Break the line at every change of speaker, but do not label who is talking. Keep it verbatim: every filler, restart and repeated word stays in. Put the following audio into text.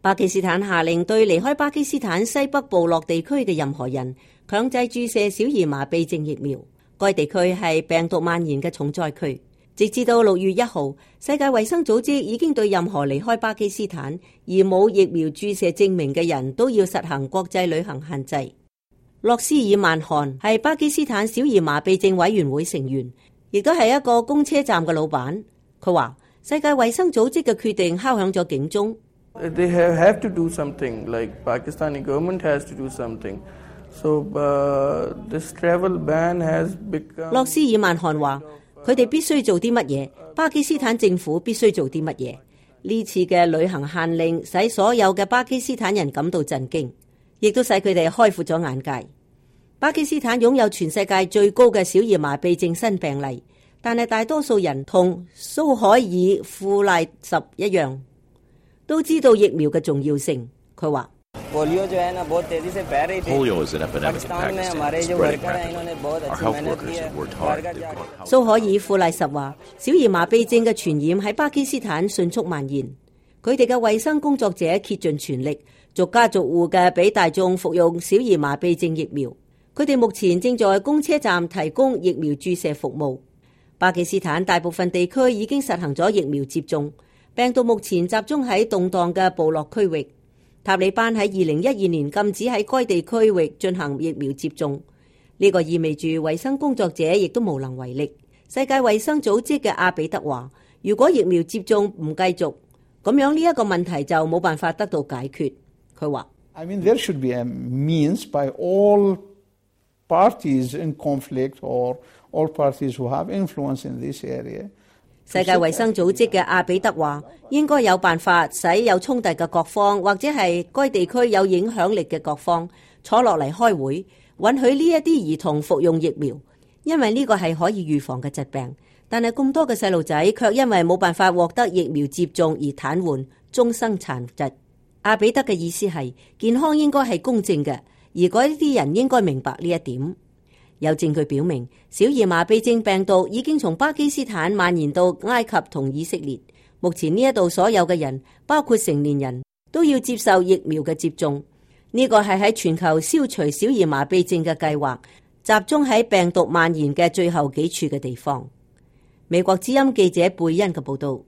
巴基斯坦下令對離開巴基斯坦西北部落地區嘅任何人強制注射小兒麻痹症疫苗。該地區係病毒蔓延嘅重災區。直至到六月一號，世界衛生組織已經對任何離開巴基斯坦而冇疫苗注射證明嘅人都要實行國際旅行限制。洛斯爾曼汗係巴基斯坦小兒麻痹症委員會成員，亦都係一個公車站嘅老闆。佢話世界衛生組織嘅決定敲響咗警鐘。
They have, have to do something, like Pakistani government has to do something. So, uh, this travel ban has become...
洛斯爾曼汗話佢哋必須做啲乜嘢，巴基斯坦政府必須做啲乜嘢。呢次嘅旅行限令使所有嘅巴基斯坦人感到震驚，亦都使佢哋開闊咗眼界。巴基斯坦擁有全世界最高嘅小兒麻痹症新病例，但係大多數人同蘇海爾富賴什一樣，都知道疫苗嘅重要性。佢話
Polio is an epidemic in Pakistan, spreading rapidly. Our health workers have worked hard. They've gone out.
蘇海爾富賴什話，小兒麻痹症嘅傳染喺巴基斯坦迅速蔓延，佢哋嘅衛生工作者竭盡全力，逐家逐戶嘅俾大眾服用小兒麻痹症疫苗。佢哋目前正在公車站提供疫苗注射服務。巴基斯坦大部分地區已經實行咗疫苗接種，病毒目前集中喺動盪嘅部落區域。塔利班喺二零一二年禁止喺該地區域進行疫苗接種，呢、這個意味住衛生工作者亦都無能為力。世界衛生組織嘅阿比德話，如果疫苗接種唔繼續，咁樣呢一個問題就冇辦法得到解決。佢話
I mean, there should be a means by all parties in conflict or all parties who have influence in this area。
世界衛生組織嘅阿比德話，應該有辦法使有衝突嘅各方或者係該地區有影響力嘅各方坐落嚟開會，允許呢一啲兒童服用疫苗，因為呢個係可以預防嘅疾病。但係咁多嘅細路仔卻因為冇辦法獲得疫苗接種而癱瘓，終生殘疾。阿比德嘅意思係健康應該係公正嘅，而嗰啲人應該明白呢一點。有證據表明，小兒麻痹症病毒已經從巴基斯坦蔓延到埃及同以色列。目前呢一度所有嘅人，包括成年人，都要接受疫苗嘅接種。呢個係喺全球消除小兒麻痹症嘅計劃，集中喺病毒蔓延嘅最後幾處嘅地方。美國之音記者貝恩嘅報道。